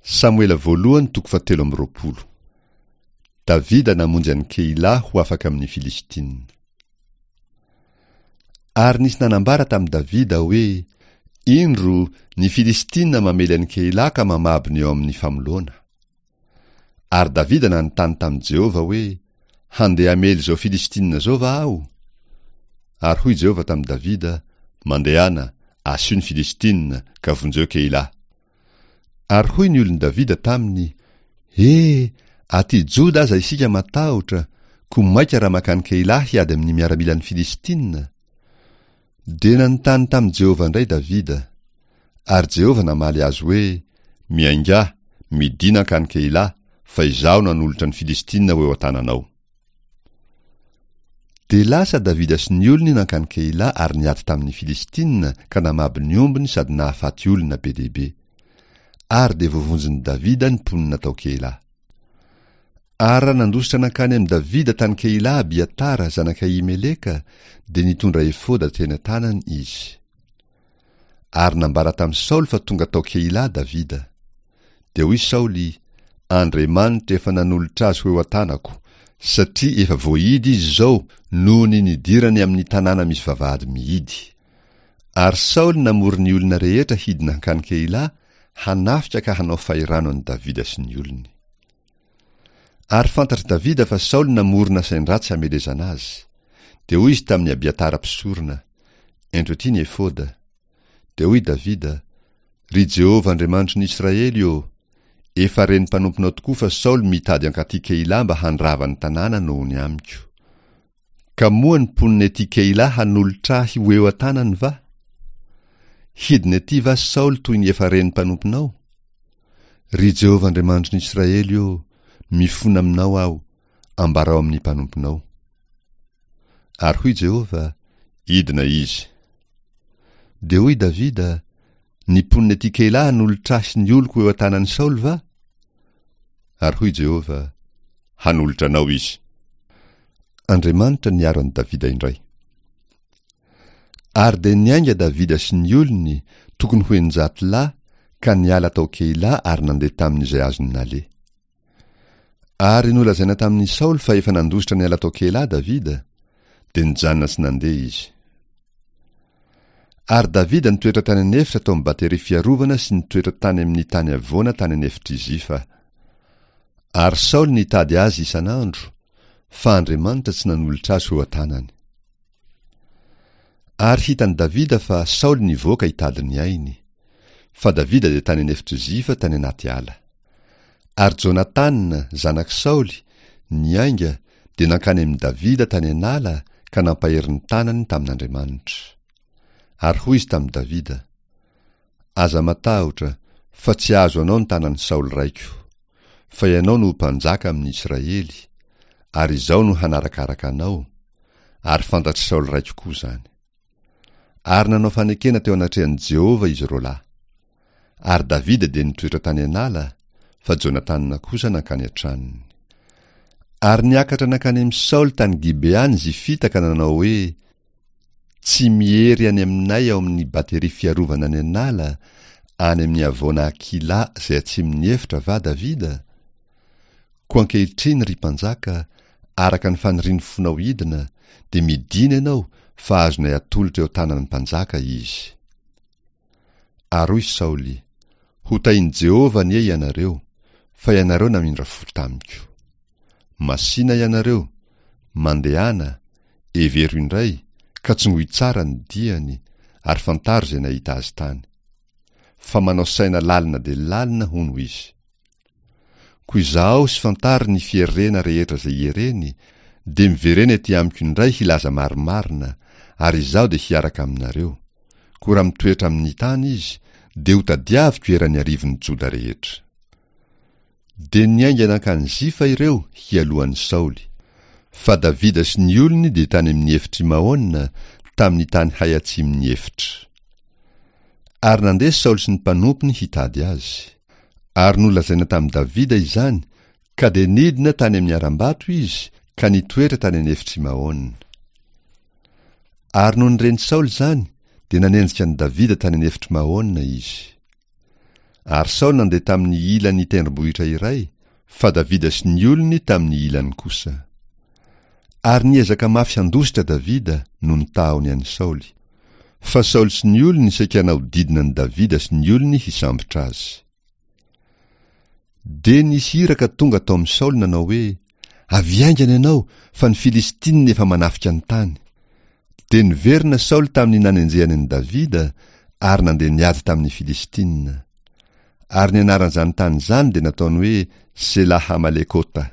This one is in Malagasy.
Samoela voalohany toko fahatelo amby 20. Davida namonjy an'i Keila ho afaka amin'ny Filistina. Ary nisy nanambara tamin'i Davida hoe, Indro, ny Filistina mamely an'i Keila ka mamabo ny eo amin'ny famoloana. Ary Davida nanontany tamin'i Jehovah hoe, Handeha hamely izao Filistina izao va aho? Ary hoy Jehovah tamin'i Davida, Mandehana, asio ny Filistina, ka vonjeo Keila. Ary hoy ny olon'i Davida taminy, He, aty Joda aza isika matahotra, koa mainka raha mankany Keila hiady amin'ny miaramilan'ny Filistina? Dia nanontany tamin'i Jehovah indray Davida. Ary Jehovah namaly azy hoe, Miaingà, midìna hankany Keila, fa Izaho nanolotra ny Filistina ho eo an-tananao. Dia lasa Davida sy ny olony nankany Keila ary niady tamin'ny Filistina ka namabo ny ombiny sady nahafaty olona be dia be. Ary dia voavonjin'i Davida ny mponina tao Keila. Ary raha nandositra nankany amin'i Davida tany Keila Abiatara zanak'i Ahimeleka, dia nitondra efoda teny an-tanany izy. Ary nambara tamin'i Saoly fa tonga tao Keila Davida. Dia hoy Saoly, Andriamanitra efa nanolotra azy ho eo an-tanako, satria efa voahidy izy izao noho ny nidirany amin'ny tanàna misy vavahady mihidy. Ary Saoly namory ny olona rehetra hidina hankany Keila, hanafika ka hanao fahirano an'i Davida sy ny olony. Ary fantatr'i Davida fa Saoly namorona sain-dratsy hamelezana azy. Dia hoy izy tamin'i Abiatara mpisorona, Ento ety ny efoda. Dia hoy Davida, Ry Jehovah Andriamanitry ny Israely ô, efa ren'ny mpanomponao tokoa fa Saoly mitady hankatỳ Keila mba handrava ny tanàna noho ny amiko. Ka moa ny mponina ety Keila hanolotra ahy ho eo an-tanany va? Hidina ety va Saoly toy ny efa ren'ny mpanomponao? Ry Jehovah Andriamanitry ny Israely ô, mifona aminao aho, ambarao amin'ny mpanomponao. Ary hoy Jehovah, Hidina izy. Dia hoy Davida, Ny mponina ety Keila hanolotra ahy sy ny oloko ho eo an-tanan'i Saoly va? Ary hoy Jehovah, Hanolotra anao izy. Andriamanitra niaro an'i Davida indray. Ary dia niainga Davida sy ny olony, tokony ho 600 lahy, ka niala tao Keila ary nandeha tamin'izay azony naleha. Ary nolazaina tamin'i Saoly fa efa nandositra niala tao Keila Davida, dia nijanona tsy nandeha izy. Ary Davida nitoetra tany an'efitra tao amin'ny bateria fiarovana sy nitoetra tany amin'ny tany havoana tany an'efitr'i Zifa. Ary Saoly nitady azy isan'andro, fa Andriamanitra tsy nanolotra azy ho eo an-tanany. Ary hitan'i Davida fa Saoly nivoaka hitady ny ainy. Fa Davida dia tany an'efitr'i Zifa tany anaty ala. Ary Jonatana, zanak'i Saoly, niainga, dia nankany amin'i Davida tany an'ala ka nampahery ny tanany tamin'Andriamanitra. Ary hoy izy tamin'i Davida, Aza matahotra, fa tsy hahazo anao ny tanan'i Saoly raiko. Fa ianao no ho mpanjaka amin'ny Israely, ary izaho no hanarakaraka anao, ary fantatr'i Saoly raiko koa izany. Ary nanao fanekena teo anatrehan'i Jehovah izy roalahy. Ary Davida dia nitoetra tany an'ala, fa Jonatana kosa nankany an-tranony. Ary niakatra nankany amin'i Saoly tany Gibea ny Zifita ka nanao hoe, Tsy miery any aminay ao amin'ny bateria fiarovana any an'ala, any amin'ny havoana Hakila izay atsimon'ny efitra va Davida? Koa ankehitriny, ry mpanjaka, araka ny fanirian'ny fonao hidina, dia midina ianao fa azonay atolotra eo an-tanan'ny mpanjaka izy. Ary hoy Saoly, Hotahin'i Jehovah anie ianareo, fa ianareo namindra fo tamiko. Masìna ianareo, mandehana, hevero indray, ka tsongoy tsara ny diany, ary fantaro izay nahita azy tany. Fa manao saina lalina dia lalina, hono, izy. Koa izahao sy fantaro ny fierena rehetra izay iereny, dia miverena ety amiko indray hilaza marimarina, ary izaho dia hiaraka aminareo. Koa raha mitoetra amin'ny tany izy, dia hotadiaviko eran'ny arivon'ny Joda rehetra. Dia niainga nankany Zifa ireo hialoha an'i Saoly. Fa Davida sy ny olony dia tany amin'ny efitr'i Maona, tamin'ny tany hay atsimon'ny efitra. Ary nandeha Saoly sy ny mpanompony hitady azy. Ary nolazaina tamin'i Davida izany, ka dia nidina tany amin'ny harambato izy ka nitoetra tany an'efitr'i Maona. Ary nony ren'i Saoly izany, dia nanenjika an'i Davida tany an'efitr'i Maona izy. Ary Saoly nandeha tamin'ny ilan'ny tendrombohitra iray, fa Davida sy ny olony tamin'ny ilany kosa. Ary niezaka mafy handositra Davida noho ny tahony an'i Saoly. Fa Saoly sy ny olony saika nahodidina an'i Davida sy ny olony hisambotra azy. Dia nisy iraka tonga tao amin'i Saoly nanao hoe, Avy haingana ianao, fa ny Filistinina efa manafika ny tany. Dia niverina Saoly tamin'ny nanenjehany an'i Davida, ary nandeha niady tamin'ny Filistinina. Ary ny anaran'izany tany izany dia nataony hoe Sela-hamalekota.